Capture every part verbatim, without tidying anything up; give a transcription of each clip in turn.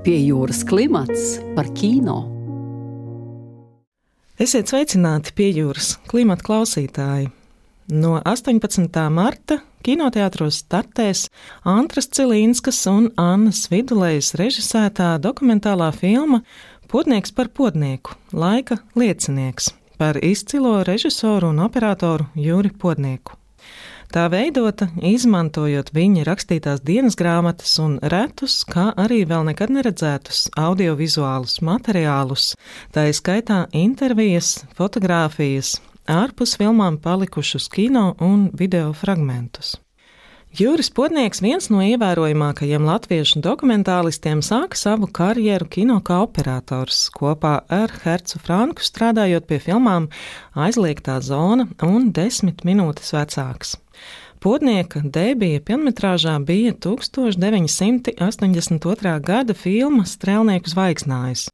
Pie jūras klimats par kino. Esiet sveicināti pie jūras klimata klausītāji. No astoņpadsmitā marta kinoteātros startēs Antras Cilīnskas un Annas Vidulejas režisētā dokumentālā filma Podnieks par podnieku – laika liecinieks par izcilo režisoru un operatoru Juri Podnieku. Tā veidota, izmantojot viņa rakstītās dienas grāmatas un retus, kā arī vēl nekad neredzētus audiovizuālus materiālus, tā izskaitā intervijas, fotogrāfijas, ārpus filmām palikušus kino un video fragmentus. Juris Podnieks, viens no ievērojamākajiem latviešu dokumentālistiem, sāka savu karjeru kino kā operators, kopā ar Hercu Franku strādājot pie filmām Aizliegtā zona un Desmit minūtes vecāks. Podnieka debija pilnmetrāžā bija tūkstoš deviņi simti astoņdesmit otrā gada filma Strēlnieku zvaigznājs,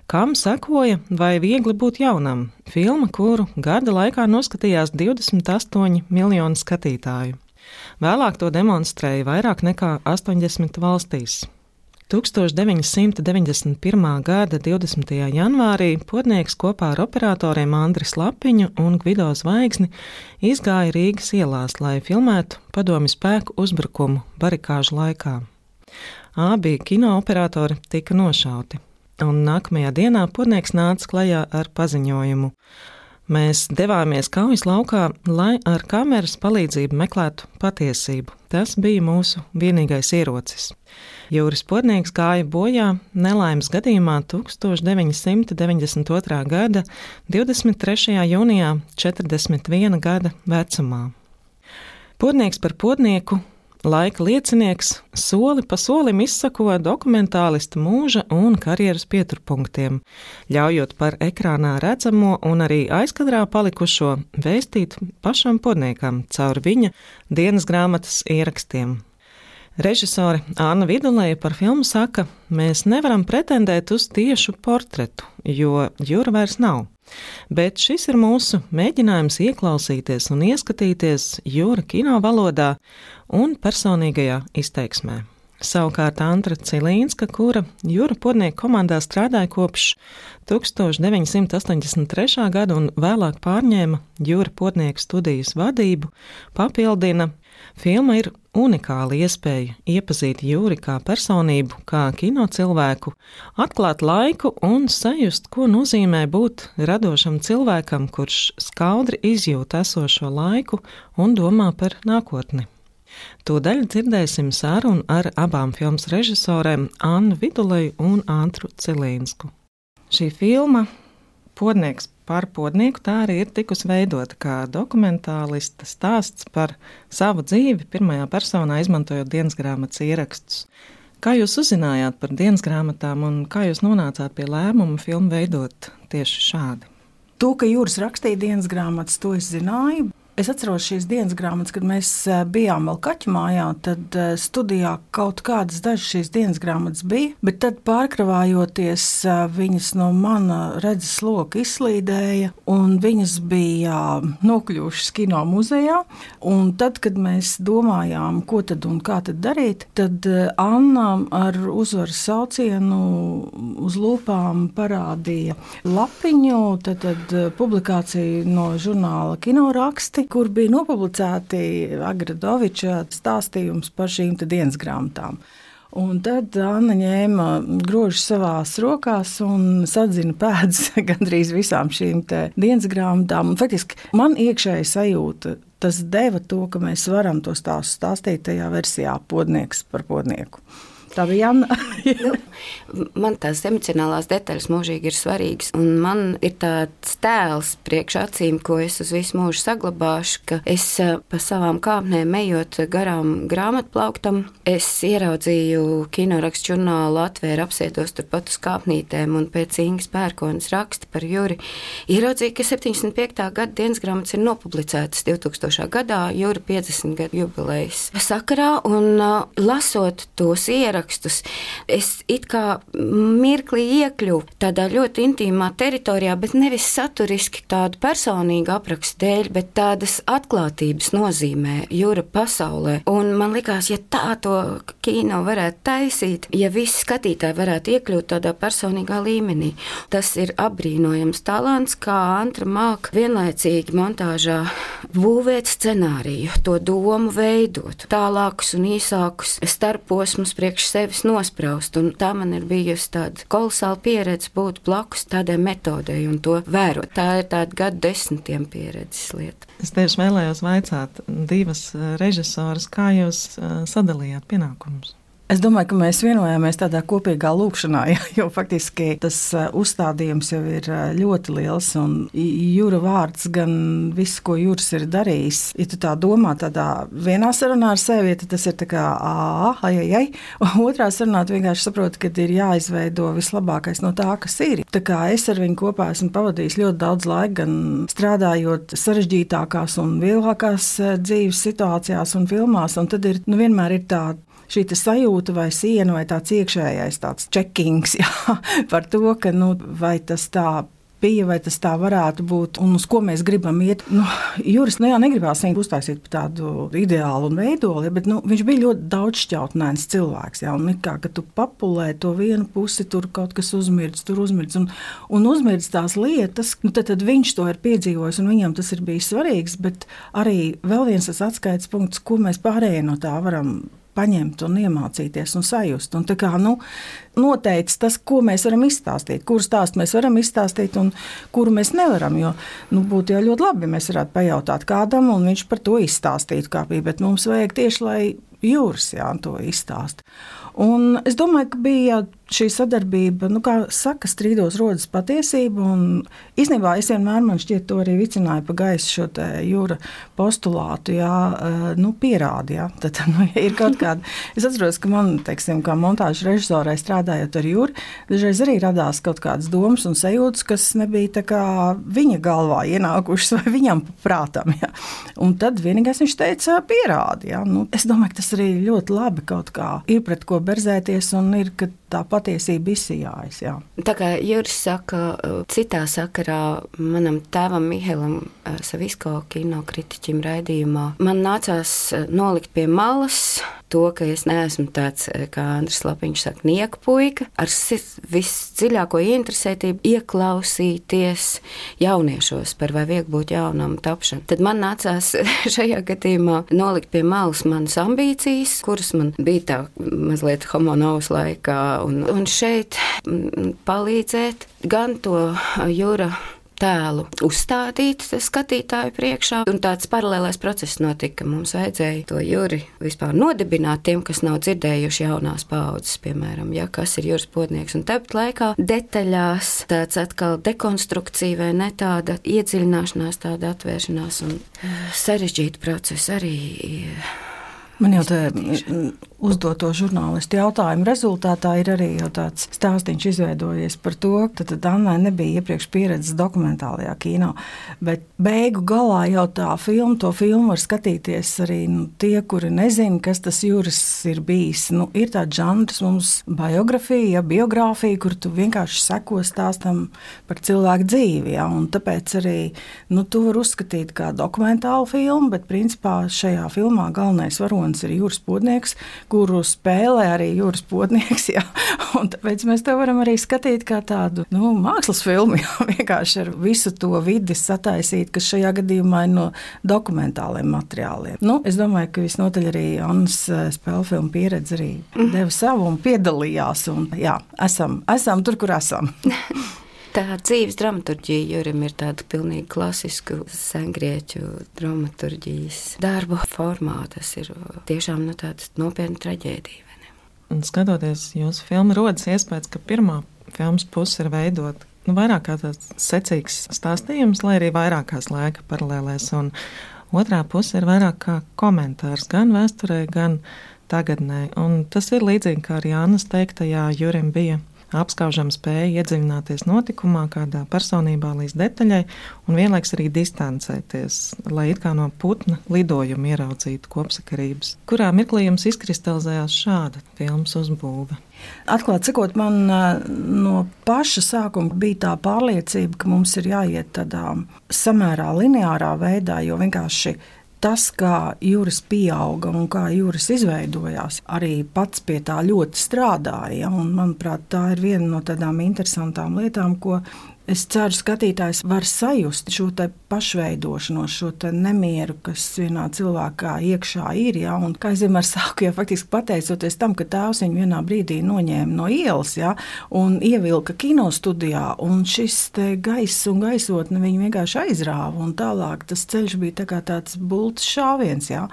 kam sekoja Vai viegli būt jaunam, filma, kuru gada laikā noskatījās divdesmit astoņi miljoni skatītāju. Vēlāk to demonstrēja vairāk nekā astoņdesmit valstīs. tūkstoš deviņi simti deviņdesmit pirmā gada divdesmitajā janvārī Podnieks kopā ar operatoriem Andri Slapiņu un Gvido Zvaigzni izgāja Rīgas ielās, lai filmētu padomju spēku uzbrukumu barikāžu laikā. Abi kinooperatori tika nošauti, un nākamajā dienā Podnieks nāca klajā ar paziņojumu. Mēs devāmies kaujas laukā, lai ar kameras palīdzību meklētu patiesību. Tas bija mūsu vienīgais ierocis. Juris Podnieks gāja bojā nelaimes gadījumā tūkstoš deviņi simti deviņdesmit otrā gada divdesmit trešajā jūnijā četrdesmit viena gada vecumā. Podnieks par podnieku, laika liecinieks, soli pa solim izsako dokumentālista mūža un karjeras pieturpunktiem, ļaujot par ekrānā redzamo un arī aizkadrā palikušo vēstīt pašam Podniekam caur viņa dienas grāmatas ierakstiem. Režisore Anna Viduleja par filmu saka, mēs nevaram pretendēt uz tiešu portretu, jo Jura vairs nav. Bet šis ir mūsu mēģinājums ieklausīties un ieskatīties Jura kino valodā un personīgajā izteiksmē. Savukārt Antra Cilīnska, kura Jura Podnieka komandā strādāja kopš tūkstoš deviņi simti astoņdesmit trešā gada un vēlāk pārņēma Jura Podnieka studijas vadību, papildina, filma ir unikāla iespēja iepazīt Juri kā personību, kā kino cilvēku, atklāt laiku un sajust, ko nozīmē būt radošam cilvēkam, kurš skaudri izjūt esošo laiku un domā par nākotni. Tūdaļ dzirdēsim sarunu ar abām filmas režisorēm Annu Viduleju un Antru Cilīnsku. Šī filma Podnieks par podnieku tā arī ir tikusi veidota kā dokumentālista stāsts par savu dzīvi pirmajā personā, izmantojot dienas grāmatas ierakstus. Kā jūs uzzinājāt par dienas grāmatām un kā jūs nonācāt pie lēmuma filmu veidot tieši šādi? To, ka Juris rakstīja dienas grāmatas, to es zināju. Es atceros šīs dienas grāmatas, kad mēs bijām vēl kaķu mājā, tad studijā kaut kādas dažas šīs dienas grāmatas bija, bet tad pārkravājoties viņas no mana redzes loka izslīdēja, un viņas bija nokļuvušas kino muzejā, un tad, kad mēs domājām, ko tad un kā tad darīt, tad Anna ar uzvaras saucienu uz lūpām parādīja lapiņu, tad, tad publikāciju no žurnāla Kinoraksti, kur bija nopublicēti Agradoviča stāstījums par šīm te dienas grāmatām. Un tad Anna ņēma grožus savās rokās un sadzina pēdas gandrīz visām šīm te dienas grāmatām. Un faktiski man iekšēji sajūta, tas deva to, ka mēs varam to stāstu stāstīt tajā versijā Podnieks par podnieku. Tā bija Anna. nu, man tās emocionālās detaļas mūžīgi ir svarīgas, un man ir tāds tēls priekš acīm, ko es uz visu mūžu saglabāšu, ka es pa savām kāpnēm ejot garām grāmatplauktam, es ieraudzīju Kinorakstu žurnālu, atvēru, apsēdos turpat uz kāpnītēm, un pēc Ingas Pērkonas raksta par Juri ieraudzīju, ka septiņdesmit piektā gada dienas grāmatas ir nopublicētas divtūkstošā gadā Jura piecdesmit gadu jubilejas sakarā, un lasot tos ierakstus, es it kā mirklī iekļuvu tādā ļoti intīmā teritorijā, bet nevis saturiski tādu personīgu aprakstu dēļ, bet tādas atklātības nozīmē jūra pasaulē. Un man likās, ja tā to kino varētu taisīt, ja visi skatītāji varētu iekļūt tādā personīgā līmenī. Tas ir apbrīnojams talants, kā Antra māk vienlaicīgi montāžā būvēt scenāriju, to domu veidot, tālākus un īsākus starposmus priekš sevis nospraust. Un tā man ir bijusi tāda kolosāla pieredze būt blakus tādai metodei un to vērot. Tā ir tāda gadu desmitiem pieredzes lieta. Es tieši vēlējos vaicāt divas režisoras, kā jūs sadalījāt pienākumus? Es domāju, ka mēs vienojāmies tādā kopīgā lūkšanā, jo faktiski tas uzstādījums jau ir ļoti liels, un Jūra vārds gan viss, ko Jūras ir darījis. Ja tu tā domā tādā vienā sarunā ar sevi, tad tas ir tā kā ā, ai, ai, ai, un otrā sarunā tu vienkārši saproti, ka ir jāizveido vislabākais no tā, kas ir. Tā kā es ar viņu kopā esmu pavadījis ļoti daudz laika, gan strādājot sarežģītākās un vieglākās dzīves situācijās un filmās, un tad ir, nu vienmēr ir tā šī sajūta vai siena vai tāds iekšējais tāds čekings, jā, par to, ka, nu, vai tas tā bija, vai tas tā varētu būt, un uz ko mēs gribam iet. Nu, Juris, nu jā, negribās viņu uztaisīt par tādu ideālu un veidoli, bet, nu, viņš bija ļoti daudzšķautnēns cilvēks, jā, un kā, ka tu papulē to vienu pusi, tur kaut kas uzmirdz, tur uzmirdz, un, un uzmirdz tās lietas, nu, tad, tad viņš to ir piedzīvojis, un viņam tas ir bijis svarīgs, bet arī vēl viens tas atskaites punkts, ko mēs pārējie no tā varam paņemt un iemācīties un sajust. Un tā kā, nu, noteicis tas, ko mēs varam izstāstīt, kuru stāstu mēs varam izstāstīt un kuru mēs nevaram, jo, nu, būtu jau ļoti labi, ja mēs varētu pajautāt kādam un viņš par to izstāstītu kā bija, bet mums vajag tieši, lai Jūras, jā, to izstāst. Un es domāju, ka bija šī sadarbība, nu, kā saka, strīdos rodas patiesība, un īstenībā es vienmēr, man šķiet, to arī vicināju pa gaisu šo te Jūra postulātu, jā, nu, pierādi, jā, tad, nu, ja ir kaut kāda, es atceros, ka man, teiksim, kā montāžu režisorai strādājot ar Jūru, dažreiz arī radās kaut kādas domas un sajūtas, kas nebija tā kā viņa galvā ienākušas vai viņam prātam, jā. Un tad vienīgais viņš teica pierādi, jā, nu, es domāju, ka tas arī ļoti labi kaut kā ir pret ko berzēties un ir, ka tā patiesība izsijājas, jā. Tā kā Juris saka, citā sakarā manam tēvam Mihailam Savisko kinokritiķim raidījumā, man nācās nolikt pie malas to, ka es neesmu tāds, kā Andris Lapiņš saka, nieku puika, ar visdziļāko ieinteresētību ieklausīties jauniešos par vai viegli būt jaunam tapšanu. Tad man nācās šajā gadījumā nolikt pie malas manas ambīcijas, kuras man bija tā mazliet homo novus laikā, un, un šeit palīdzēt gan to Jūra tēlu uzstādīt skatītāju priekšā, un tāds paralēlais process notika. Mums vajadzēja to Juri vispār nodibināt tiem, kas nav dzirdējuši jaunās paaudzes, piemēram, ja, kas ir Juris Podnieks, un tāpat laikā detaļās tāds atkal dekonstrukcija vai ne tāda iedziļināšanās, tāda atvēršanās un sarežģīta procesa arī. Man jau tā uzdoto žurnālistu jautājumu rezultātā ir arī jau tāds stāstiņš izveidojies par to, ka tad Annai nebija iepriekš pieredzes dokumentālajā kino, bet beigu galā jau tā filma, to filmu var skatīties arī, nu, tie, kuri nezina, kas tas Juris ir bijis. Nu, ir tāds žanrs mums biografija, ja, biogrāfija, kur tu vienkārši seko stāstam par cilvēku dzīvi, ja, un tāpēc arī, nu, tu var uzskatīt kā dokumentālu filmu, bet principā šajā filmā galvenais varonis ir Juris Podnieks, kuru spēlē arī Juris Podnieks, jā. Un tāpēc mēs to varam arī skatīt kā tādu, nu, mākslas filmu, jā, vienkārši ar visu to vidi sataisīt, kas šajā gadījumā ir no dokumentāliem materiāliem. Nu, es domāju, ka visnotaļ arī Annas spēlfilmu pieredze arī deva savu un piedalījās, un jā, esam, esam tur, kur esam. Tā dzīves dramaturģija Jurim ir tāda pilnīgi klasisku sengrieķu dramaturģijas darbu formā. Tas ir tiešām, nu, tāda nopietna traģēdija. Vai ne? Un skatoties jūsu filmu, rodas iespējas, ka pirmā filmas puse ir veidot, nu, vairāk kā tāds secīgs stāstījums, lai arī vairākās laika paralēlēs, un otrā puse ir vairāk kā komentārs gan vēsturē, gan tagadnē. Un tas ir līdzīgi kā arī Annas teiktajā, Jurim bija apskaužama spēja iedziļināties notikumā, kādā personībā līdz detaļai, un vienlaiks arī distancēties, lai it kā no putna lidojuma ieraudzītu kopsakarības. Kurā mirklī jums izkristalizējās šāda filmas uzbūve? Atklāt sakot, man no paša sākuma bija tā pārliecība, ka mums ir jāiet tādā samērā lineārā veidā, jo vienkārši tas, kā Juris pieauga un kā Juris izveidojās, arī pats pie tā ļoti strādāja. Un, manuprāt, tā ir viena no tādām interesantām lietām, ko es ceru, skatītājs var sajust šo te pašveidošanos, šo te nemieru, kas vienā cilvēkā iekšā ir. Ja? Un, kā es vienmēr saku, ja faktiski pateicoties tam, ka tēvs viņu vienā brīdī noņēma no ielas, ja? Un ievilka kinostudijā, un šis te gaiss un gaisotne viņu vienkārši aizrāva, un tālāk tas ceļš bija tā kā tāds bultas šāviens. Ja?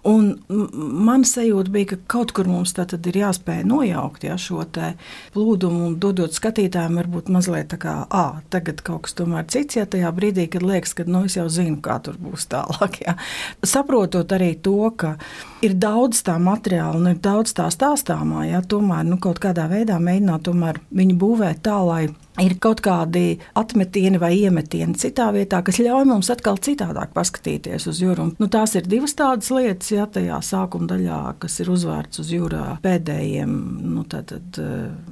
Un man sajūta bija, ka kaut kur mums tā tad ir jāspēj nojaukt, ja, šo te plūdumu un dodot skatītājiem varbūt mazliet tā kā, ā, tagad kaut kas tomēr cits, ja tajā brīdī, kad liekas, ka, nu, es jau zinu, kā tur būs tālāk, ja. Saprotot arī to, ka ir daudz tā materiāla un ir daudz tā stāstāmā, ja, tomēr, nu, kaut kādā veidā mēģināt tomēr viņu būvēt tā, lai ir kaut kādi atmetieni vai iemetieni citā vietā, kas ļauj mums atkal citādāk paskatīties uz Juru. Nu, tās ir divas tādas lietas, ja, tajā sākuma daļā, kas ir uzvērts uz Jura pēdējiem, nu, tātad,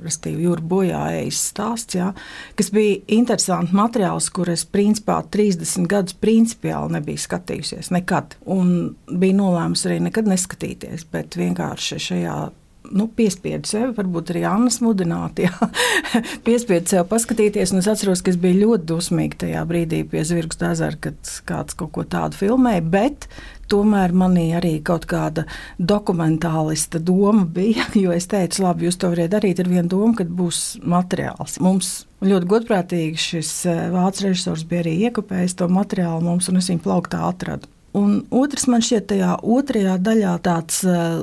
restīvi, Jura bojāejas stāsts, ja, kas bija interesants materiāls, kur es principā trīsdesmit gadus principiāli nebiju skatījusies, nekad. Un bija nolēmus arī nekad neskatīties, bet vienkārši šajā Nu, piespiedu sevi, varbūt arī Annas mudināti, jā, piespiedu sevi paskatīties, un es atceros, ka es biju ļoti dusmīgi tajā brīdī pie Zvirgas ezera, kad kāds kaut ko tādu filmēja, bet tomēr manī arī kaut kāda dokumentālista doma bija, jo es teicu, labi, jūs to variet darīt ar vienu domu, kad būs materiāls. Mums ļoti godprātīgi šis vācu režisors bija arī iekopējis to materiālu mums, un es viņu plauktā atradu. Un otrs man šķiet tajā otrajā daļā tāds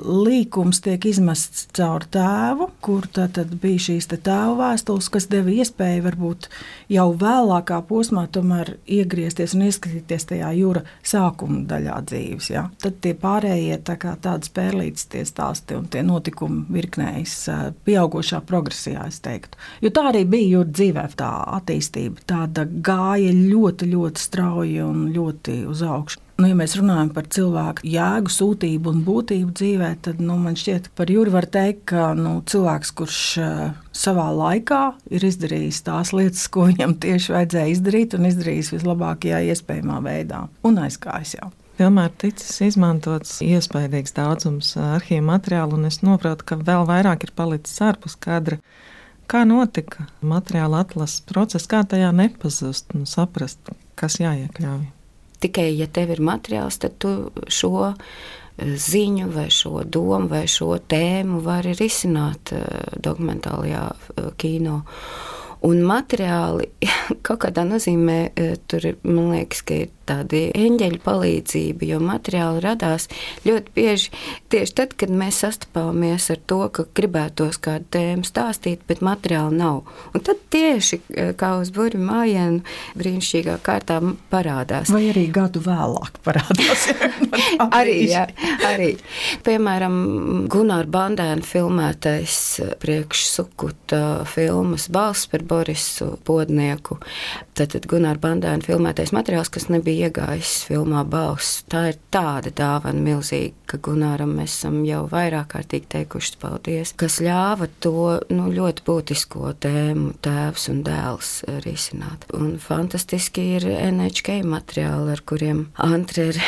līkums tiek izmests caur tēvu, kur tad bija šīs te tēva vēstules, kas deva iespēju varbūt jau vēlākā posmā tomēr iegriezties un ieskatīties tajā Jura sākuma daļā dzīves. Ja? Tad tie pārējie tā kā tādas pērlītes tie stāsti un tie notikumi virknējas pieaugošā progresijā, es teiktu. Jo tā arī bija Jura dzīvē, tā attīstība, tāda gāja ļoti, ļoti strauji un ļoti uz augšu. Nu, ja mēs runājam par cilvēku jēgu, sūtību un būtību dzīvē, tad nu, man šķiet, par Juri var teikt, ka nu, cilvēks, kurš uh, savā laikā ir izdarījis tās lietas, ko viņam tieši vajadzēja izdarīt un izdarījis vislabākajā iespējamā veidā un aizgājis jau. Filmā ir ticis izmantots iespaidīgs daudzums arhīvu materiālu, un es noprotu, ka vēl vairāk ir palicis ārpus kadra. Kā notika materiāla atlases process, kā tajā nepazust un saprast, kas jāiekļauj? Tikai, ja tev ir materiāls, tad tu šo ziņu vai šo domu vai šo tēmu vari risināt dokumentālajā kino. Un materiāli kaut kādā nozīmē tur, man liekas, ka ir tādi eņģeļu palīdzība, jo materiāli radās ļoti bieži tieši tad, kad mēs sastapāmies ar to, ka gribētos kādu tēmu stāstīt, bet materiāli nav. Un tad tieši kā uz burvju mājienu brīnišķīgā kārtā parādās. Vai arī gadu vēlāk parādās. arī, jā, arī. Piemēram, Gunāra Bandēna filmētais priekš Sukuta filmas Balss par Borisu Podnieku. Tātad Gunāra Bandēna filmētais materiāls, kas nebija iegājis filmā Balss. Tā ir tāda dāvana milzīga, ka Gunāram mēs esam jau vairāk kārtīgi teikuši paldies, kas ļāva to nu, ļoti būtisko tēmu tēvs un dēls risināt. Un fantastiski ir N H K materiāli, ar kuriem Antre ir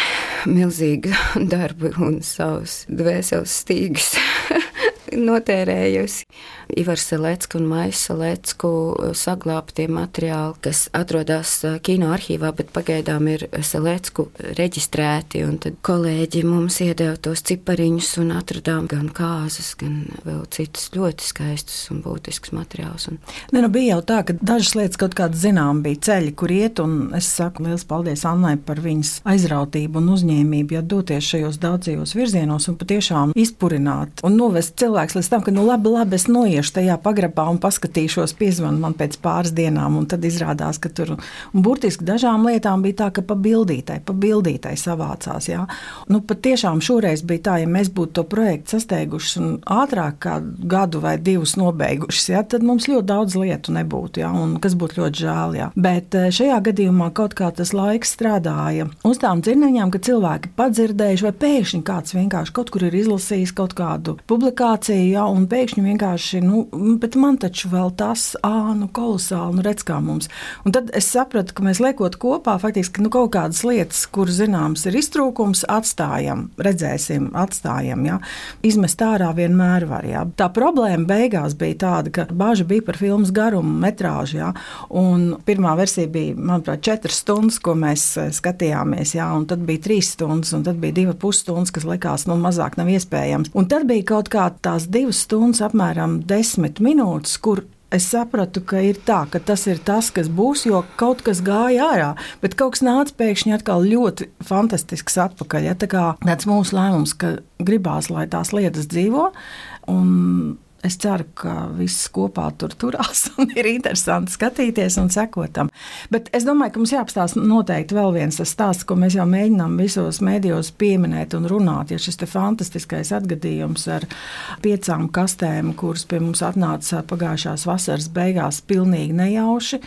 milzīgu darbu un savus dvēseles stīgus notērējusi. Ivars Selecku un Maisa Selecku saglābtie materiāli, kas atrodas kino arhīvā, bet pagaidām ir Selecku reģistrēti, un tad kolēģi mums iedeva tos cipariņus un atradām gan kāzas, gan vēl citus ļoti skaistus un būtiskus materiālus. Un... Ne, nu bija jau tā, ka dažas lietas kaut kādas zinām bija ceļi, kur iet, un es saku liels paldies Annai par viņas aizrautību un uzņēmību, ja doties šajos daudzajos virzienos un patiešām izpurināt un novest cilvēku cilvēks līdz tam, ka nu labi, labi, es noiešu tajā pagrabā un paskatīšos, piezvanu man pēc pāris dienām, un tad izrādās, ka tur, un burtiski dažām lietām bija tā, ka pa bildītai, pa bildītai savācās, jā. Nu, pat tiešām šoreiz bija tā, ja mēs būtu to projektu sasteiguši un ātrāk kā gadu vai divus nobeigušas, jā, tad mums ļoti daudz lietu nebūtu, jā, un kas būtu ļoti žēl, jā. Bet šajā gadījumā kaut kā tas laiks strādāja uz tām dzirneņām, ka cilvēki padzirdējuši, vai pēkšņi kāds vienkārši kaut kur ir izlasījis kaut kādu publikāciju, jā, un pēkšņi vienkārši, nu, bet man taču vēl tas, ā, nu, kolosāli, nu, redz kā mums. Un tad es sapratu, ka mēs liekot kopā, faktiski, nu, kaut kādas lietas, kur zināms ir iztrūkums, atstājam, redzēsim, atstājam, jā. Izmest ārā vienmēr var, jā. Tā problēma beigās bija tāda, ka bāža bija par filmas garumu, metrāžu, jā, un pirmā versija bija, manuprāt, četras stundas, ko mēs skatījāmies, jā, un tad bija trīs stundas, un tad bija diva pusstundas, kas likās, nu, mazāk nav iespējams. Un tad bija kaut kā tās divas stundas, apmēram desmit minūtes, kur es sapratu, ka ir tā, ka tas ir tas, kas būs, jo kaut kas gāja ārā, bet kaut kas nāca pēkšņi atkal ļoti fantastisks atpakaļ. Ja? Tā kā tāds mūsu lēmums, ka gribās, lai tās lietas dzīvo, un es ceru, ka viss kopā tur turās un ir interesanti skatīties un sekotam. Bet es domāju, ka mums jāapstāsta noteikti vēl viens tas stāsts, ko mēs jau mēģinām visos mēdījos pieminēt un runāt. Ja šis te fantastiskais atgadījums ar piecām kastēm, kuras pie mums atnāca pagājušās vasaras beigās pilnīgi nejauši,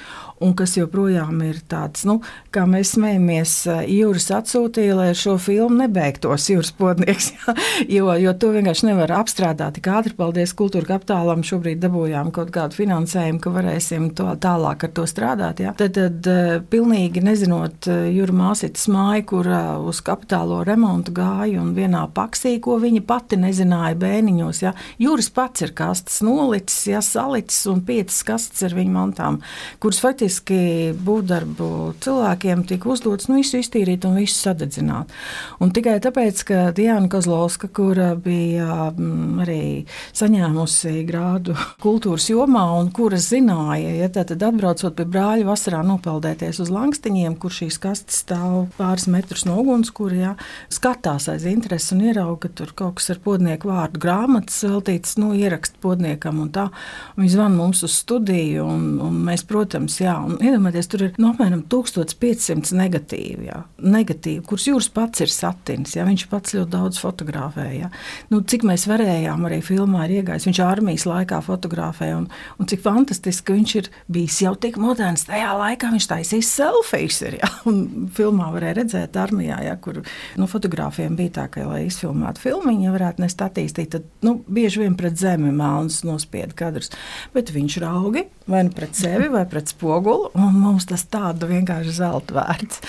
un kas joprojām ir tāds, nu, kā mēs smējamies, Jūras atsūtīja, lai ar šo filmu nebeigtos Jūras podnieks, ja? jo, jo to vienkārši nevar apstrādāt tik ātri. Paldies Kultūra Kapitālam, šobrīd dabūjām kaut kādu finansējumu, ka varēsim to tālāk ar to strādāt. Ja? Tad, tad pilnīgi nezinot Jūra māsitas māju, kur uz kapitālo remontu gāja un vienā paksī, ko viņa pati nezināja bēniņos. Ja? Jūras pats ir kastes nolicis, ja, salicis un piecas kastes ar viņu mantām, kuras faktiski būvdarbu cilvēkiem tika uzdots, nu visu iztīrīt un visu sadedzināt. Un tikai tāpēc, ka Diana Kozlovska, kura bija arī saņēmusi grādu kultūras jomā un kuras zināja, ja tad atbraucot pie brāļa vasarā nopeldēties uz Langstiņiem, kur šīs kastes stāv pāris metrus no ugunskura, ja, skatās aiz interesi un ierauga, ka tur kaut kas ar podnieku vārdu grāmatas veltīts, nu, ierakst podniekam un tā. Viņi zvan mums uz studiju un, un mēs, protams, jā, un iedomājieties, tur ir no apmēram tūkstoš piecsimt negatīvi, jā, negatīvi, kurus Jūras pats ir satins, jā, viņš pats ļoti daudz fotografēja. Nu, cik mēs varējām arī filmā ir iegājis, viņš armijas laikā fotografē, un, un cik fantastiski, ka viņš ir bijis jau tik moderns, tajā laikā viņš taisīs selfijas ir, ja? Un filmā varēja redzēt armijā, ja, kur, nu, fotogrāfiem bija tā, ka, lai izfilmētu filmiņu, ja varētu nest attīstīt, tad, nu, bieži vien pret zemi melns nospieda kadrus, bet viņš raugi, vai nu pret sevi, vai pret spogulu, un mums tas tāda vienkārši zelta vērts,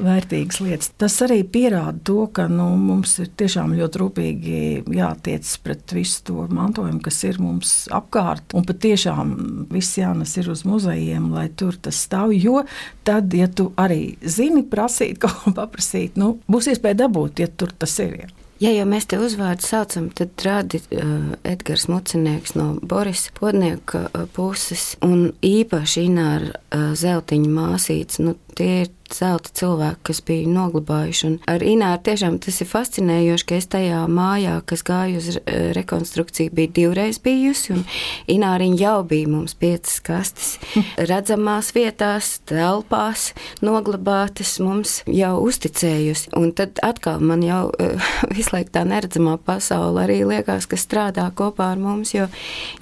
vērtīgas lietas. Tas arī pierāda to, ka, nu, mums ir tiešām ļoti rūpīgi jātiec pret visu to mantojumu, kas ir mums apkārt, un patiešām viss jānes ir uz muzejiem, lai tur tas stāv, jo tad, ja tu arī zini prasīt, kaut ko paprasīt, nu, būs iespēja dabūt, ja tur tas ir. Ja. Ja jau mēs te uzvārdu saucam, tad rādi uh, Edgars Mucinieks no Borisa Podnieka uh, puses, un īpaši Ināra uh, Zeltiņa māsītes, nu, tie ir zelta cilvēki, kas bija noglabājuši. Un ar Ināru tiešām tas ir fascinējoši, ka es tajā mājā, kas gāja uz rekonstrukciju, bija divreiz bijusi, un Ināriņa jau bija mums piecas kastes redzamās vietās, telpās, noglabātas, mums jau uzticējusi. Un tad atkal man jau visu laiku tā neredzamā pasaule arī liekas, ka strādā kopā ar mums, jo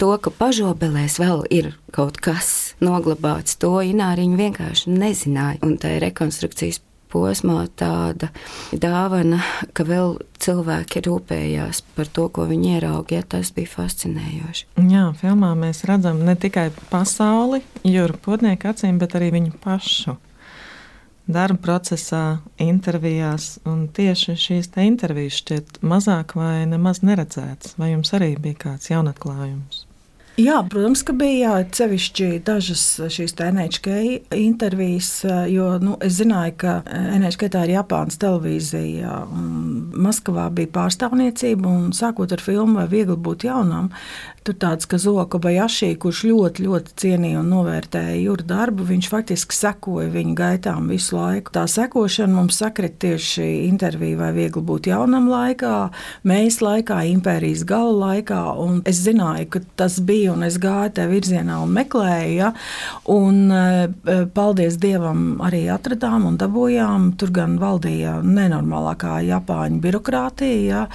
to, ka pažobelēs vēl ir kaut kas noglabāts, to Ināriņa vienkārši nezināja. Un tā ir rekonstrukcijas posmā tāda dāvana, ka vēl cilvēki rūpējās par to, ko viņi ierauga, ja tas bija fascinējoši. Jā, filmā mēs redzam ne tikai pasauli, Jūra Podnieka acīm, bet arī viņu pašu. Darba procesā, intervijās, un tieši šīs te intervijas šķiet mazāk vai nemaz neredzētas. Vai jums arī bija kāds jaunatklājums? Jā, protams, ka bija sevišķi dažas šīs N H K intervijas, jo nu, es zināju, ka N H K tā ir Japānas televīzija, un Maskavā bija pārstāvniecība, un sākot ar filmu Vai viegli būt jaunam, tur tāds Kazuo Kobayashi, kurš ļoti, ļoti cienīja un novērtēja Jura darbu, viņš faktiski sekoja viņa gaitām visu laiku. Tā sekošana mums sakrit tieši intervija Vai viegli būt jaunam laikā, Mēs laikā, Impērijas gala laikā, un es zināju, ka tas bija, un es gāju te virzienā un meklēju, ja? Un paldies Dievam arī atradām un dabūjām, tur gan valdīja nenormālākā Japāņu birokrātija, ja?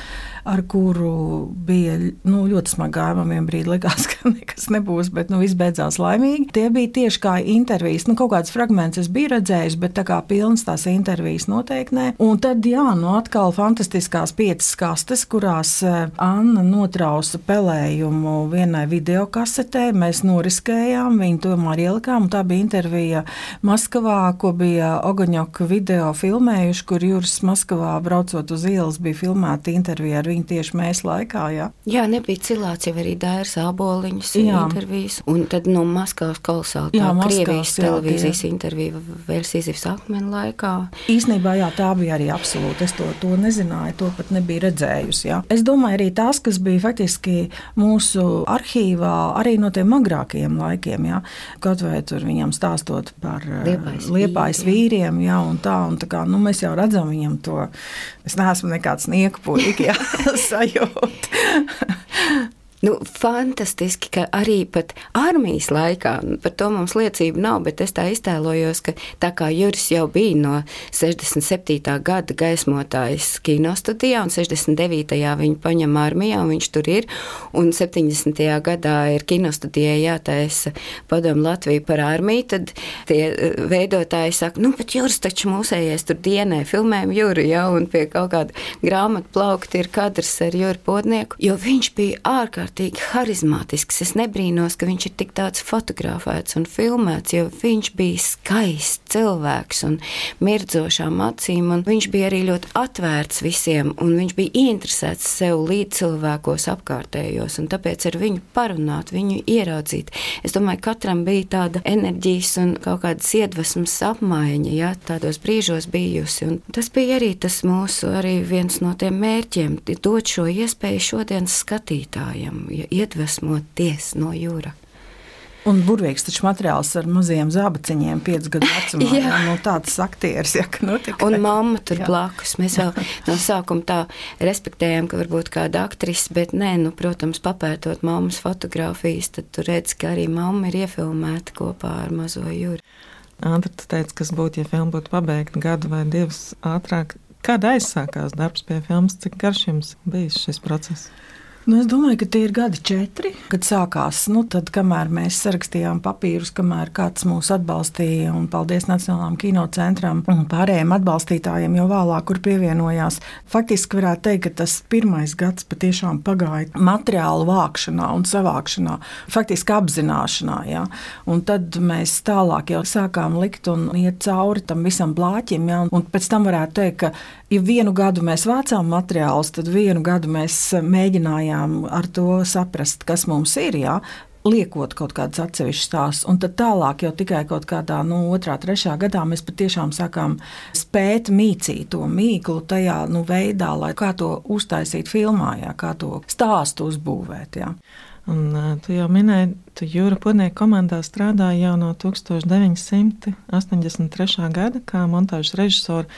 Ar kuru bija nu, ļoti smagā. Man vien brīdi likās, ka nekas nebūs, bet nu, viss beidzās laimīgi. Tie bija tieši kā intervijas. Nu, kaut kāds fragments es biju redzējis, bet tā kā pilns tās intervijas noteikti nē. Un tad, jā, nu atkal fantastiskās piecas kastes, kurās Anna notrausa pelējumu vienai videokasetē. Mēs noriskējām, viņu tomēr ielikām, un tā bija intervija Maskavā, ko bija Ogaņoka video filmējuši, kur Juris Maskavā braucot uz ielas bija filmēta intervija ar viņu tieši Mēs laikā, jā. Jā, nebija cilāts jau arī Dairas Āboliņas intervijas, un tad no Maskavas kolosāli tā jā, Krievijas jā, televīzijas jā. Intervija vēl Sīzifs akmeni laikā. Īsnībā, jā, tā bija arī absolūti. Es to, to nezināju, to pat nebija redzējusi, jā. Es domāju arī tās, kas bija faktiski mūsu arhīvā, arī no tiem agrākajiem laikiem, jā. Kaut vai tur viņam stāstot par Liepājas, Liepājas vīriem, jā, un tā, un tā kā, nu, mēs jau redzam viņam to, es neesmu nekāds nieku puika, jā. Sajūt. Nu, fantastiski, ka arī pat armijas laikā, par to mums liecība nav, bet es tā iztēlojos, ka tā kā Juris jau bija no sešdesmit septītā gada gaismotājs kinostudijā, un sešdesmit devītajā viņu paņem armijā, un viņš tur ir, un septiņdesmitajā gadā ir kinostudijai jātaisa Padomu Latviju par armiju, tad tie veidotāji saka, nu, bet Juris taču mūsējais tur dienē, filmējam Juri, ja, un pie kaut kāda grāmatu plaukta ir kadrs ar Juri Podnieku, jo viņš bija ārkārtīgi harizmātisks. Es nebrīnos, ka viņš ir tik tāds fotografēts un filmēts, jo viņš bija skaists cilvēks un mirdzošām acīm, un viņš bija arī ļoti atvērts visiem, un viņš bija ieinteresēts sev līdz cilvēkos apkārtējos, un tāpēc ar viņu parunāt, viņu ieraudzīt. Es domāju, katram bija tāda enerģijas un kaut kādas iedvesmas apmaiņa, ja, tādos brīžos bijusi, un tas bija arī tas mūsu, arī viens no tiem mērķiem, dot šo iespēju šodienas skatītājiem, ja iedvesmoties no Jura. Un burvīgs taču materiāls ar maziem zābaciņiem piecu gadu vecumā. Jā. Jā, nu tāds aktieris, ja, ka nu tikai. Un mamma tur jā. Blakus. Mēs vēl no sākuma tā respektējām, ka varbūt kāda aktrise, bet nē, nu, protams, papētot mammas fotogrāfijas, tad tu redz, ka arī mamma ir iefilmēta kopā ar mazo Juru. Andra, tu teici, kas būtu, ja filma būtu pabeigta gadu vai divus ātrāk. Kad aizsākās darbs pie filmas, cik garš jums bijis šis process? Nu, es domāju, ka tie ir gadi četri, kad sākās, nu, tad, kamēr mēs sarakstījām papīrus, kamēr kāds mūs atbalstīja, un paldies Nacionālām kinocentram un pārējiem atbalstītājiem jau vēlāk, kur pievienojās. Faktiski varētu teikt, ka tas pirmais gads patiešām pagāja materiālu vākšanā un savākšanā, faktiski apzināšanā, jā. Un tad mēs tālāk jau sākām likt un iet cauri tam visam blāķim, jā, un pēc tam varētu teikt, ka ja vienu gadu mēs vācām materiālus, tad vienu gadu mēs mēģinājām ar to saprast, kas mums ir, jā, liekot kaut kādas atsevišķas tās, un tad tālāk jau tikai kaut kādā, nu, otrā, trešā gadā mēs patiešām sākām spēt mīcīt to mīklu tajā, nu, veidā, lai kā to uztaisīt filmā, jā, kā to stāstu uzbūvēt, jā. Un tu jau minēji, tu Jura Podnieka komandā strādāji jau no tūkstoš deviņi simti astoņdesmit trešā gada kā montāžas režisori.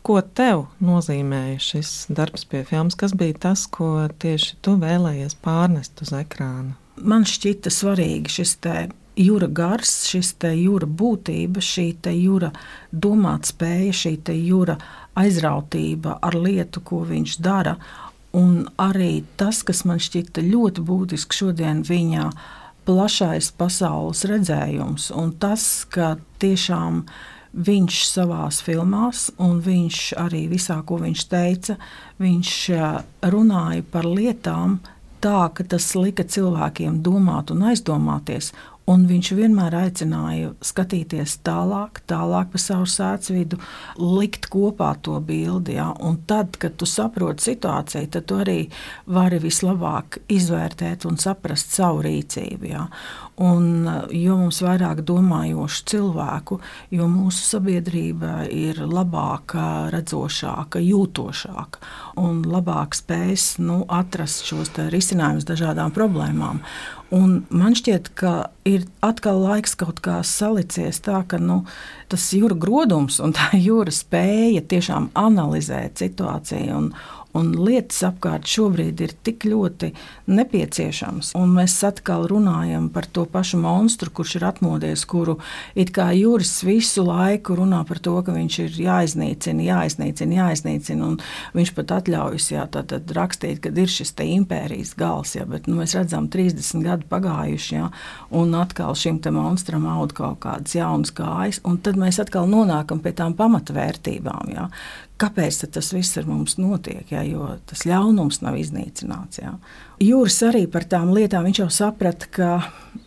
Ko tev nozīmēja šis darbs pie filmas? Kas bija tas, ko tieši tu vēlējies pārnest uz ekrāna? Man šķita svarīgi šis te Jura gars, šis te Jura būtība, šī te Jura domātspēja, šī te Jura aizrautība ar lietu, ko viņš dara. Un arī tas, kas man šķita ļoti būtiski šodien viņa plašais pasaules redzējums. Un tas, ka tiešām viņš savās filmās, un viņš arī visā, ko viņš teica, viņš runāja par lietām tā, ka tas lika cilvēkiem domāt un aizdomāties, Un viņš vienmēr aicināja skatīties tālāk, tālāk pa savu sēcvidu, likt kopā to bildi. Ja? Un tad, kad tu saproti situāciju, tad tu arī vari vislabāk izvērtēt un saprast savu rīcību. Ja? Un, jo mums vairāk domājošu cilvēku, jo mūsu sabiedrība ir labāka, redzošāka, jūtošāka un labāk spējas nu, atrast šos risinājumus dažādām problēmām. Un man šķiet, ka ir atkal laiks kaut kā salicies tā, ka nu, tas jūra grodums un tā jūra spēja tiešām analizēt situāciju un, un lietas apkārt šobrīd ir tik ļoti nepieciešams. Un mēs atkal runājam par to pašu monstru, kurš ir atmodies, kuru it kā Juris visu laiku runā par to, ka viņš ir jāiznīcina, jāiznīcina, jāiznīcina, un viņš pat atļaujas jā, tātad rakstīt, kad ir šis te impērijas gals, jā, bet nu, mēs redzam trīsdesmit gadu pagājuši, jā, un atkal šim te monstram aud kaut kādas jaunas kājas, un tad mēs atkal nonākam pie tām pamatvērtībām, jā. Kāpēc tas viss ar mums notiek, ja, jo tas ļaunums nav iznīcināts. Ja. Juris arī par tām lietām, viņš jau saprata, ka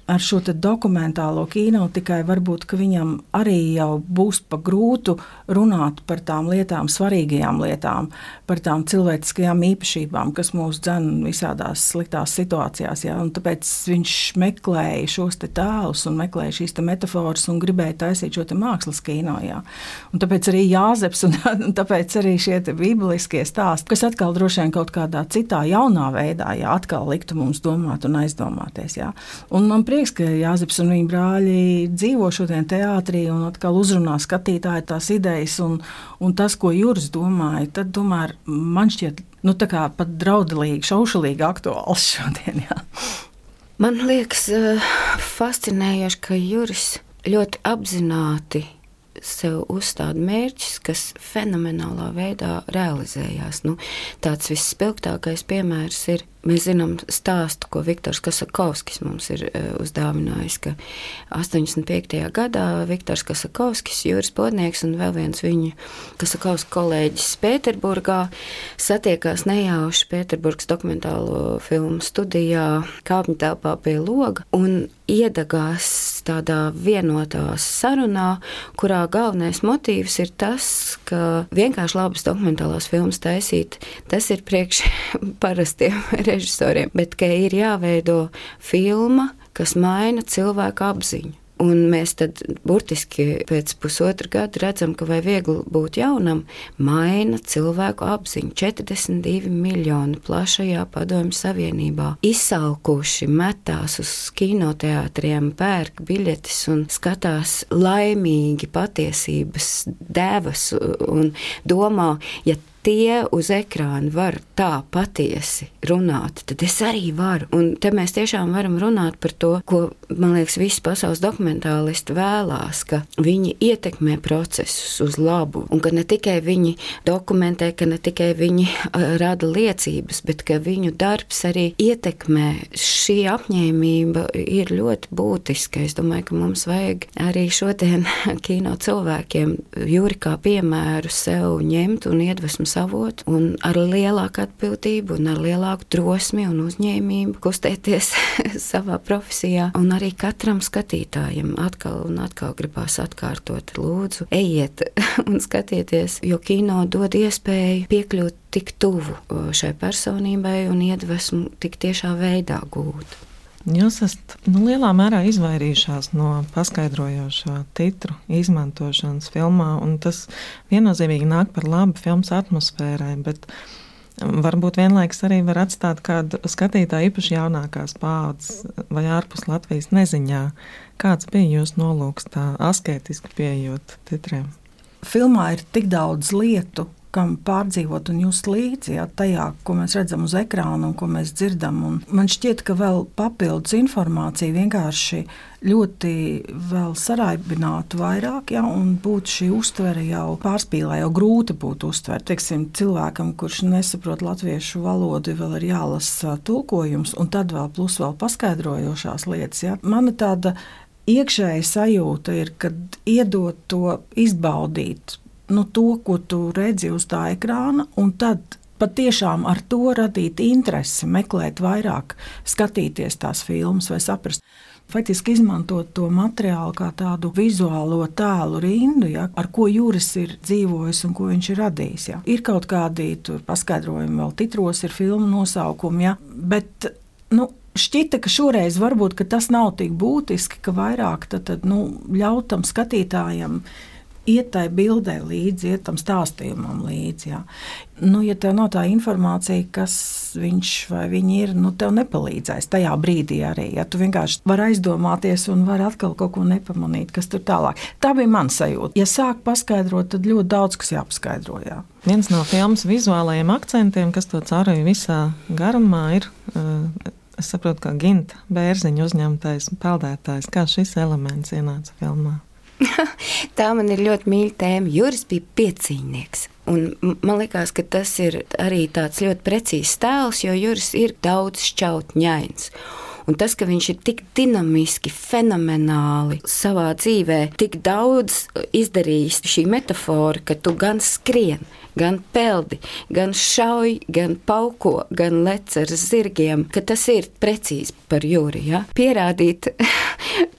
ar šo dokumentālo kino tikai varbūt, ka viņam arī jau būs pa grūtu runāt par tām lietām, svarīgajām lietām, par tām cilvēciskajām īpašībām, kas mūs dzen visādās sliktās situācijās. Ja, un tāpēc viņš meklēja šos te tēlus un meklēja šīs te metaforas un gribēja taisīt šo te mākslas kino. Ja. Un tāpēc arī Jāzeps un, un tāpēc arī šie te bībeliskie stāsti, kas atkal droši vien kaut kādā citā jaunā veidā, ja, atkal liktu mums domāt un aizdomāties. Ja. Un man prieks, ka Jāzeps un viņa brāļi dzīvo šodien teātrī un atkal uzrunā skatītāji tās idejas un, un tas, ko Juris domāja, tad tomēr man šķiet, nu tā kā pat draudelīgi, šaušalīgi aktuāls šodien, jā. Man liekas fascinējoši, ka Juris ļoti apzināti sev uzstāda mērķis, kas fenomenālā veidā realizējās. Nu, tāds visspilgtākais piemērs ir, mēs zinām stāstu, ko Viktors Kasakovskis mums ir uh, uzdāvinājis, ka astoņdesmit piektajā gadā Viktors Kasakovskis, Juris Podnieks un vēl viens viņu Kasakovska kolēģis Pēterburgā satiekās nejauši Pēterburgas dokumentālo filmu studijā kāpņu telpā pie loga un iedagās tādā vienotā sarunā, kurā galvenais motīvs ir tas, ka vienkārši labas dokumentālās filmas taisīt, tas ir priekš parastiem režisoriem, bet ka ir jāveido filma, kas maina cilvēku apziņu. Un mēs tad burtiski pēc pusotra gada redzam, ka vai viegli būt jaunam, maina cilvēku apziņu. četrdesmit divi miljoni plašajā Padomju Savienībā izsalkuši, metās uz kinoteātriem, pērk biļetes un skatās laimīgi patiesības devas un domā, ja tie uz ekrāna var tā patiesi runāt, tad es arī varu. Un te mēs tiešām varam runāt par to, ko, man liekas, visi pasaules dokumentālisti vēlās, ka viņi ietekmē procesus uz labu, un ka ne tikai viņi dokumentē, ka ne tikai viņi rada liecības, bet ka viņu darbs arī ietekmē. Šī apņēmība ir ļoti būtiska. Es domāju, ka mums vajag arī šodien kino cilvēkiem Juri kā piemēru sev ņemt un iedvesmu savot, un ar lielāku atbildību, un ar lielāku drosmi un uzņēmību kustēties savā profesijā. Un arī katram skatītājam atkal un atkal gribās atkārtot. Lūdzu, ejiet un skatieties, jo kino dod iespēju piekļūt tik tuvu šai personībai un iedvesmu tik tiešā veidā gūt. Jūs esat nu, lielā mērā izvairījušās no paskaidrojošā titru izmantošanas filmā, un tas viennozīmīgi nāk par labu filmas atmosfērai, bet varbūt vienlaiks arī var atstāt kādu skatītāju īpaši jaunākās paaudzes vai ārpus Latvijas neziņā. Kāds bija jūsu nolūks tā asketiski pieejot titriem? Filmā ir tik daudz lietu, kam pārdzīvot un just līdzi, jā, tajā, ko mēs redzam uz ekrāna un ko mēs dzirdam. Un man šķiet, ka vēl papildus informācija vienkārši ļoti vēl saraibinātu vairāk, jā, un būtu šī uztvere jau pārspīlē, jau grūti būtu uztvert. Teiksim, cilvēkam, kurš nesaprot latviešu valodu, vēl ir jālasa tulkojums, un tad vēl plus vēl paskaidrojošās lietas. Jā. Mana tāda iekšēja sajūta ir, kad iedot to izbaudīt, nu, to, ko tu redzi uz tā ekrāna, un tad patiešām ar to radīt interesi, meklēt vairāk, skatīties tās filmas vai saprast. Faktiski izmantot to materiālu kā tādu vizuālo tēlu rindu, ja, ar ko Juris ir dzīvojis un ko viņš ir radījis. Ja. Ir kaut kādi tur paskaidrojumi, vēl titros ir filmu nosaukumi, ja, bet, nu, šķita, ka šoreiz varbūt ka tas nav tik būtiski, ka vairāk tad, tad, nu, ļautam skatītājam iet tai bildē līdzi, iet tam stāstījumam līdzi. Jā. Nu, ja tev nav tā informācija, kas viņš vai viņi ir, nu, tev nepalīdzēs tajā brīdī arī. Ja tu vienkārši var aizdomāties un var atkal kaut ko nepamanīt, kas tur tālāk. Tā bija man sajūta. Ja sāk paskaidrot, tad ļoti daudz, kas jāpaskaidro. Jā. Viens no filmas vizuālajiem akcentiem, kas to caurīja visā garumā, ir, es saprotu, kā Ginta Bērziņa uzņemtais peldētājs. Kā šis elements ienāca filmā? Tā man ir ļoti mīļa tēma. Juris bija piecīņnieks. Un man liekas, ka tas ir arī tāds ļoti precīzs tēls, jo Juris ir daudz šķautņains. Un tas, ka viņš ir tik dinamiski, fenomenāli savā dzīvē, tik daudz izdarījis šī metafora, ka tu gan skrien, gan peldi, gan šauj, gan pauko, gan lec ar zirgiem, ka tas ir precīzi par Juri. Ja? Pierādīt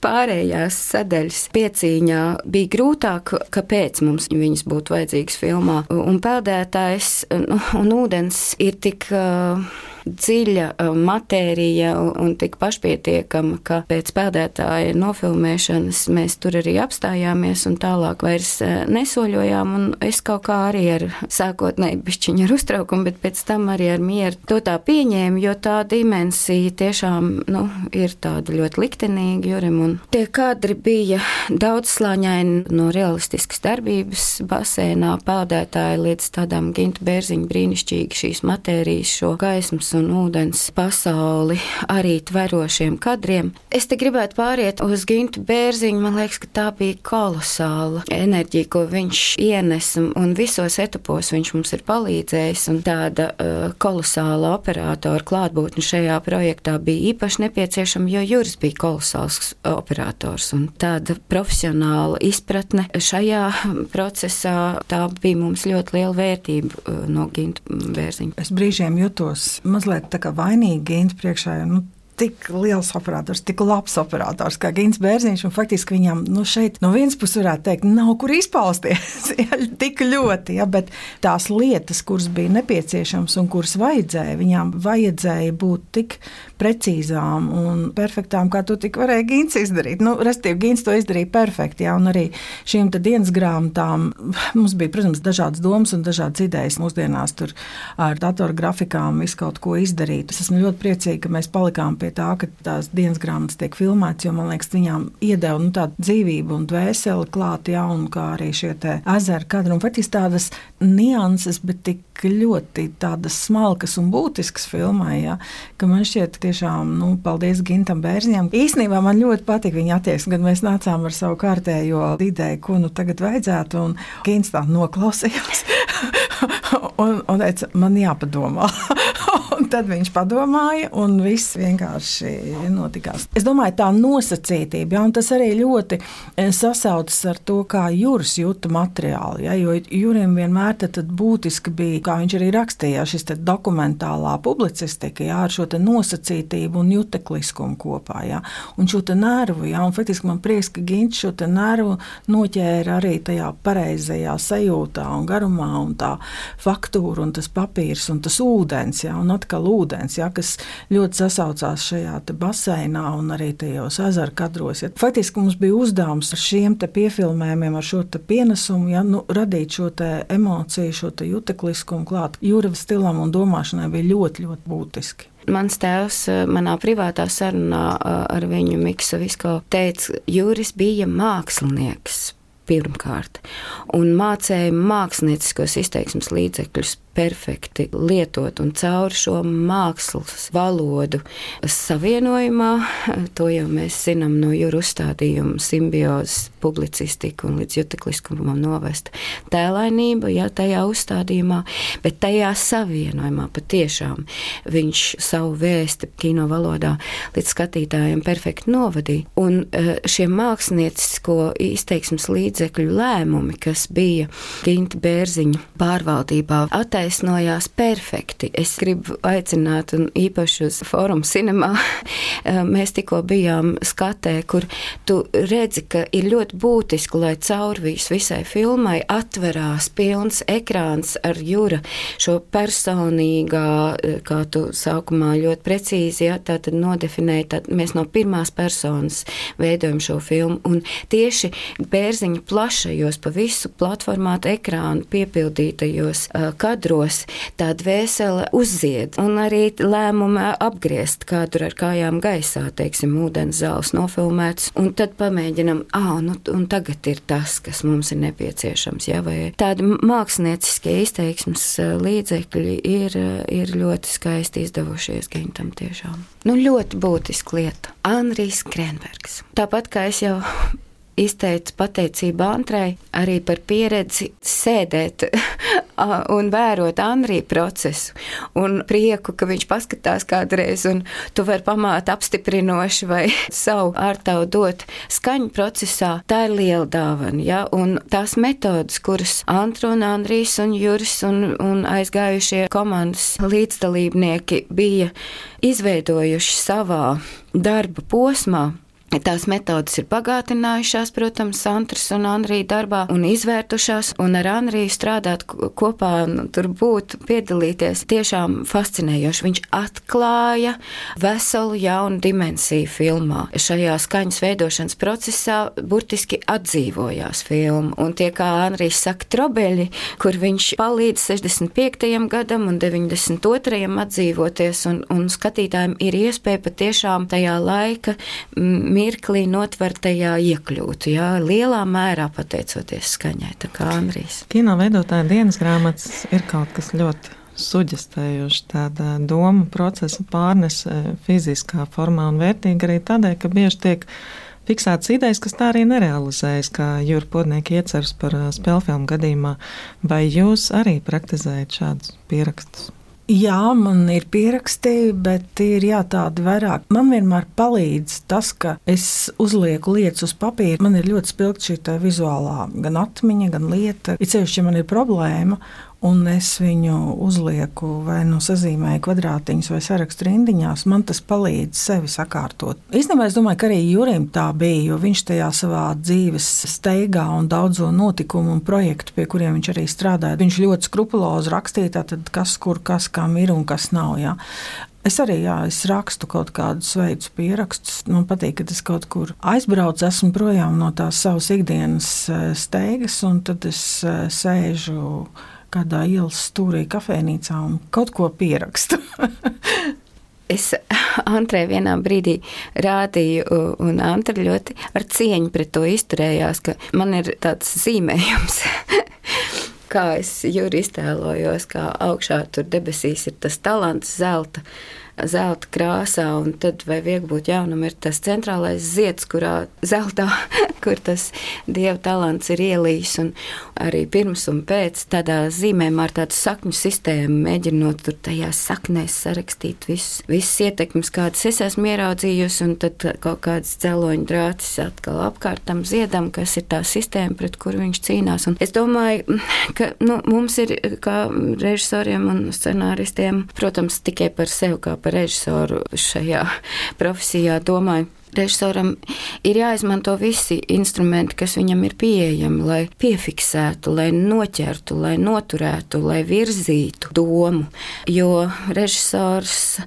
pārējās sadaļas piecīņā bija grūtāk, kāpēc mums viņas būtu vajadzīgas filmā. Un peldētājs un ūdens ir tik uh, dziļa matērija un tik pašpietiekama, ka pēc peldētāja nofilmēšanas mēs tur arī apstājāmies un tālāk vairs nesoļojām. Un es kaut kā arī ar sākotnēji bišķiņu ar uztraukumu, bet pēc tam arī ar mieru to tā pieņēmu, jo tā dimensija tiešām nu, ir tāda ļoti liktenīga Jurim. Un tie kadri bija daudzslāņaini no realistiskas darbības basēnā peldētāja līdz tādām Ginta Bērziņa brīnišķīgi šīs matērijas, šo gaismas un ūdens pasauli arī tverošiem kadriem. Es te gribētu pāriet uz Gintu Bērziņu. Man liekas, ka tā bija kolosāla enerģija, ko viņš ienes, un visos etapos viņš mums ir palīdzējis, un tāda uh, kolosāla operatora klātbūtne šajā projektā bija īpaši nepieciešama, jo Juris bija kolosāls operators, un tāda profesionāla izpratne šajā procesā, tā bija mums ļoti liela vērtība uh, no Ginta Bērziņa. Es brīžiem jutos mazliet tā kā vainīgi Ginta priekšā, jo, nu, tik liels operators, tik labs operators kā Gints Bērziņš, un faktiski viņam, nu, šeit no vienas puses varētu teikt, nav kur izpausties, ja, tik ļoti, ja, bet tās lietas, kuras bija nepieciešams un kuras vajadzēja, viņām vajadzēja būt tik precīzām un perfektām, kā to tik varēja Gints izdarīt. Nu, restīvi, Gints to izdarīja perfekti, ja, un arī šīm te dienas grāmatām mums bija, protams, dažādas domas un dažādas idejas mūsdienās tur ar datorgrafikām visu kaut ko izdarīt. Es esmu ļoti priecīga, ka mēs palikām pie tā, ka tās dienas grāmatas tiek filmētas, jo, man liekas, viņām iedeva nu, tādu dzīvību un dvēseli klāt, ja, un kā arī šie te ezeri kadri, un faktiski tādas nianses, bet tik ļoti tādas smalkas un būtiskas filmai, ja, ka man šķiet tiešām, nu, paldies Gintam Bērziņam. Īstenībā man ļoti patika viņa attieksme, kad mēs nācām ar savu kārtējo ideju, ko nu tagad vajadzētu, un Gints tā noklausījās un, un teica, man jāpadomā. Un tad viņš padomāja, un viss vienkārši notikās. Es domāju, tā nosacītība, ja, un tas arī ļoti sasaucas ar to, kā Juris jūta materiālu, ja, jo Jurim vienmēr tad, tad būtiski bija, kā viņš arī rakstīja, šis te dokumentālā publicistika, ja, ar šo te nosacītību un jutekliskumu kopā, ja, un šo te nervu, ja, un faktiski man prieks, ka Gints šo te nervu noķēra arī tajā pareizajā sajūtā un garumā, un tā faktūra, un tas papīrs, un tas ūdens, ja, un atkal ūdens, ja, kas ļoti sasaucās šajā te baseinā un arī tajos ezeru kadros. Ja. Faktiski mums bija uzdevums ar šiem te piefilmējumiem, ar šo te pienesumu, ja, nu, radīt šo te emociju, šo te jutekliskumu klāt. Jura stilam un domāšanai bija ļoti, ļoti būtiski. Mans tēvs manā privātā sarunā ar viņu Miksa Visko teica, Juris bija mākslinieks pirmkārt un mācēja mākslinieckos izteiksmes līdzekļus perfekti lietot, un caur šo mākslas valodu savienojumā, to jau mēs zinām no Jura uzstādījuma simbiozes, publicistika un līdz jutekliskumam novest tēlainība, ja tajā uzstādījumā, bet tajā savienojumā patiešām viņš savu vēsti kino valodā līdz skatītājiem perfekti novadīja. Un šie māksliniecisko izteiksmes līdzekļu lēmumi, kas bija Ginta Bērziņa pārvaldībā, attēlot attaisnojās perfekti. Es gribu aicināt un īpaši uz Forum Cinemā. Mēs tikko bijām skatē, kur tu redzi, ka ir ļoti būtiski, lai caurvīs visai filmai atverās pilns ekrāns ar Jura šo personīgā, kā tu sākumā ļoti precīzi, ja, tā tad nodefinēja, tad mēs no pirmās personas veidojam šo filmu, un tieši Bērziņa plašajos pa visu platformātu ekrānu piepildītajos uh, kadros tā dvēsele uzzied, un arī lēmuma apgriezt kādu ar kājām gaisā, teiksim, ūdens zāles nofilmēts, un tad pamēģinam, ā, nu, un tagad ir tas, kas mums ir nepieciešams, ja, vai tādi mākslinieciskie izteiksmes līdzekļi ir, ir ļoti skaisti izdevušies Gintam tiešām. Nu, ļoti būtiska lieta. Anrijs Krenbergs. Tāpat kā es jau izteicu pateicību Antrai arī par pieredzi sēdēt un vērot Anrija procesu un prieku, ka viņš paskatās kādreiz un tu vari pamāt apstiprinoši vai savu ārtavu dot skaņu procesā. Tā ir liela dāvana, ja? Un tās metodas, kuras Antra un Anrijs un Juris un, un aizgājušie komandas līdzdalībnieki bija izveidojuši savā darba posmā, tās metodas ir pagātinājušās, protams, Antras un Anrija darbā un izvērtušās, un ar Anriju strādāt kopā, nu, tur būt, piedalīties, tiešām fascinējoši. Viņš atklāja veselu jaunu dimensiju filmā. Šajā skaņas veidošanas procesā burtiski atdzīvojās filma, un tie, kā Anrijs saka, trobeļi, kur viņš palīdz sešdesmit piektajam gadam un deviņdesmit otrajam atdzīvoties, un, un skatītājiem ir iespēja patiešām tajā laika mirklī notvertajā iekļūt, jā, lielā mērā pateicoties skaņai, tā kā Anrijs. Kino veidotāja dienas grāmatas ir kaut kas ļoti suģestējoši, tāda doma procesa pārnes fiziskā formā un vērtīga arī tādēļ, ka bieži tiek fiksētas idejas, kas tā arī nerealizējas, kā Jūra Podnieka ieceras par spēlfilmu gadījumā. Vai jūs arī praktizējat šādus pierakstus? Jā, man ir pieraksti, bet ir jā, tādi vairāk. Man vienmēr palīdz tas, ka es uzlieku lietas uz papīra. Man ir ļoti spilgta šī tā vizuālā gan atmiņa, gan lieta. Ir ceļš, ja man ir problēma, un es viņu uzlieku vai nu sazīmēju kvadrātiņus vai sarakstu rindiņās, man tas palīdz sevi sakārtot. Īstenībā es domāju, ka arī Jurim tā bija, jo viņš tajā savā dzīves steigā un daudzo notikumu un projektu, pie kuriem viņš arī strādāja, viņš ļoti skrupulozi rakstīja, tātad kas, kur, kas, kam ir un kas nav, jā. Es arī, jā, es rakstu kaut kādus veidus pierakstus. Man patīk, ka es kaut kur aizbraucu, esmu projām no tās savas ikdienas steigas, un tad es sēžu kādā ielas stūrī kafejnīcā un kaut ko pierakstu. Es Antrai vienā brīdī rādīju, un Antra ļoti ar cieņu pret to izturējās, ka man ir tāds zīmējums, kā es Juri iztēlojos, kā augšā tur debesīs ir tas talants zelta, zelta krāsā, un tad vai Viegbūt jaunam ir tas centrālais zieds, kurā zeltā, kur tas dieva talants ir ielījis, un arī pirms un pēc tādā zīmējumā ar tādu sakņu sistēmu, mēģinot tur tajās saknēs sarakstīt visus, visas ietekmes, kādas es esmu ieraudzījusi, un tad kaut kāds dzeloņu drātis atkal apkārt tam ziedam, kas ir tā sistēma, pret kuru viņš cīnās. Un es domāju, ka nu, mums ir kā režisoriem un scenāristiem, protams, tikai par sevi kā par režisoru šajā profesijā domāju. Režisoram ir jāizmanto visi instrumenti, kas viņam ir pieejami, lai piefiksētu, lai noķertu, lai noturētu, lai virzītu domu. Jo režisors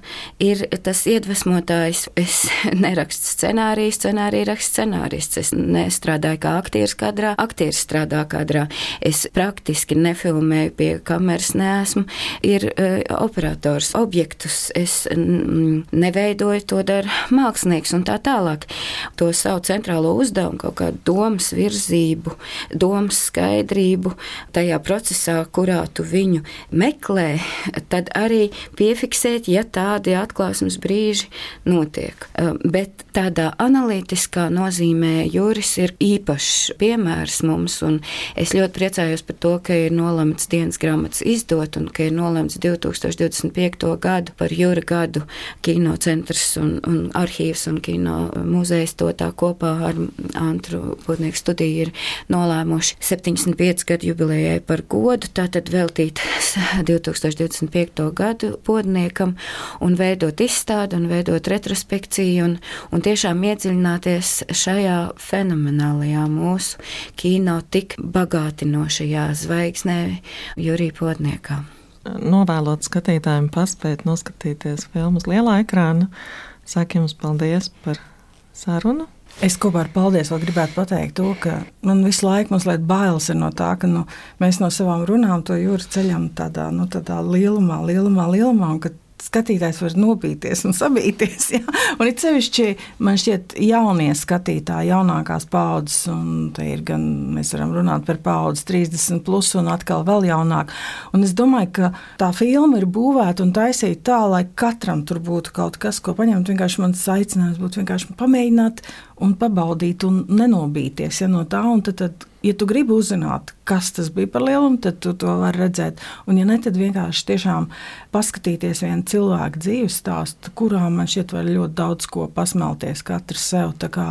ir tas iedvesmotājs. Es nerakstu scenāriju, scenāriju rakstu scenārists. Es nestrādāju kā aktieris kadrā, aktieris strādā kadrā. Es praktiski nefilmēju pie kameras, neesmu. Ir uh, operators, objektus. Es mm, neveidoju, to dara mākslinieks un tā tā. Tālāk to savu centrālo uzdevumu, kaut kādu domas virzību, domas skaidrību tajā procesā, kurā tu viņu meklē, tad arī piefiksēt, ja tādi atklāsmes brīži notiek. Bet tādā analītiskā nozīmē Juris ir īpašs piemērs mums, un es ļoti priecājos par to, ka ir nolemts dienas grāmatas izdot, un ka ir nolemts divi tūkstoši divdesmit piekto gadu par Jura gadu kinocentrs un, un arhīvs un kino muzejs to tā kopā ar Antru Pūtnieku studiju ir nolēmuši septiņdesmit pieci gadu jubilejai par godu, tātad veltīt divi tūkstoši divdesmit piekto gadu Pūtniekam un veidot izstādi un veidot retrospekciju un, un tiešām iedziļināties šajā fenomenālajā mūsu kino tik bagātinošajā zvaigznē Jurija Pūtniekā. Novēlot skatītājiem paspēt noskatīties filmas lielā ekrāna. Saku jums paldies par sarunu. Es kopā ar paldies vēl gribētu pateikt to, ka man visu laiku mazliet bailes ir no tā, ka nu, mēs no savām runām to jūras ceļam tādā, nu, tādā lielumā, lielumā, lielumā, un ka skatītājs var nobīties un sabīties. Ja? Un it sevišķi man šķiet jaunie skatītāji, jaunākās paaudzes, un te ir gan, mēs varam runāt par paaudzes trīsdesmit plus un atkal vēl jaunāk. Un es domāju, ka tā filma ir būvēta un taisīta tā, lai katram tur būtu kaut kas, ko paņemt. Vienkārši mans aicinājums būtu vienkārši pamēģināt un pabaudīt un nenobīties ja, no tā. Un tad, tad, ja tu gribi uzzināt, kas tas bija par lielumu, tad tu to vari redzēt. Un ja ne, tad vienkārši tiešām paskatīties vienu cilvēku dzīves stāstu, kurā man šķiet var ļoti daudz ko pasmelties katrs sev. Tā kā,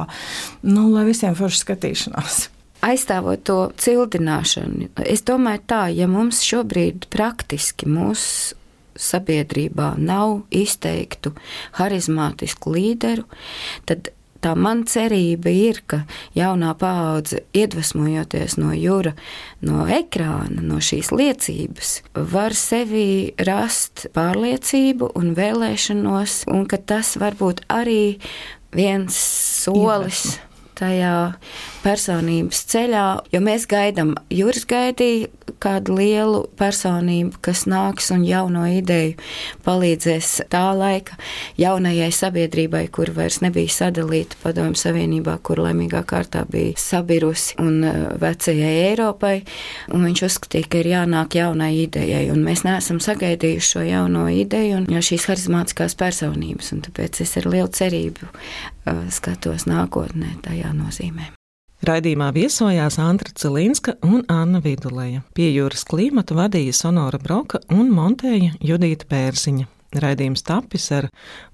nu, lai visiem forši skatīšanās. Aizstāvot to cildināšanu, es domāju tā, ja mums šobrīd praktiski mūsu sabiedrībā nav izteiktu harizmātisku līderu, tad tā man cerība ir, ka jaunā paudze, iedvesmojoties no Jura, no ekrāna, no šīs liecības, var sevī rast pārliecību un vēlēšanos, un ka tas var būt arī viens solis Iedvesma. Tajā personības ceļā, jo mēs gaidām, Juris gaidīja kādu lielu personību, kas nāks un jauno ideju palīdzēs tā laika jaunajai sabiedrībai, kur vairs nebija sadalīta Padomju Savienībā, kur laimīgā kārtā bija sabirusi un vecajai Eiropai, un viņš uzskatīja, ka ir jānāk jaunai idejai, un mēs neesam sagaidījuši šo jauno ideju un šīs harizmātiskās personības, un tāpēc es ar lielu cerību uh, skatos nākotnē tajā nozīmē. Raidījumā viesojās Antra Cilinska un Anna Viduleja. Pie jūras klimatu vadīja Sonora Broka un montēja Judīta Pērziņa. Raidījums tapis ar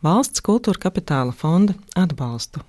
Valsts kultūra kapitāla fonda atbalstu.